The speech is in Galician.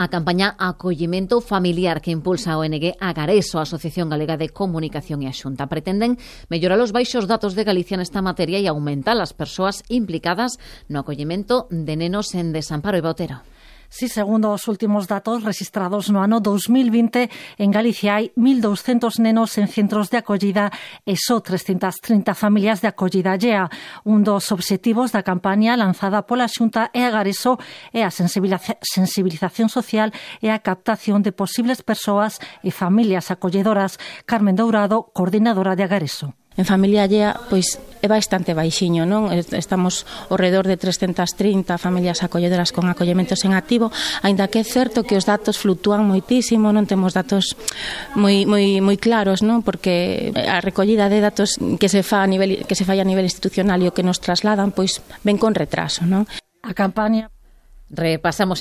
A campaña Acollemento Familiar que impulsa a ONG Agareso, a Asociación Galega de Comunicación e a Xunta, pretenden mellorar os baixos datos de Galicia nesta materia e aumentar as persoas implicadas no acollemento de nenos en desamparo e Otero. Sí, segundo os últimos datos registrados no ano 2020, en Galicia hai 1.200 nenos en centros de acollida e só 330 familias de acollida allea. Un dos obxectivos da campaña lanzada pola Xunta e Agareso é a sensibilización social e a captación de posibles persoas e familias acolledoras. Carmen Dourado, coordinadora de Agareso. En familia allea, pois, é bastante baixiño, non? Estamos ao redor de 330 familias acolledoras con acollementos en activo, aínda que é certo que os datos fluctúan moitísimo, non temos datos moi claros, non? Porque a recollida de datos que se fai a nivel institucional e o que nos trasladan, pois, ven con retraso, non? A campaña Repasamos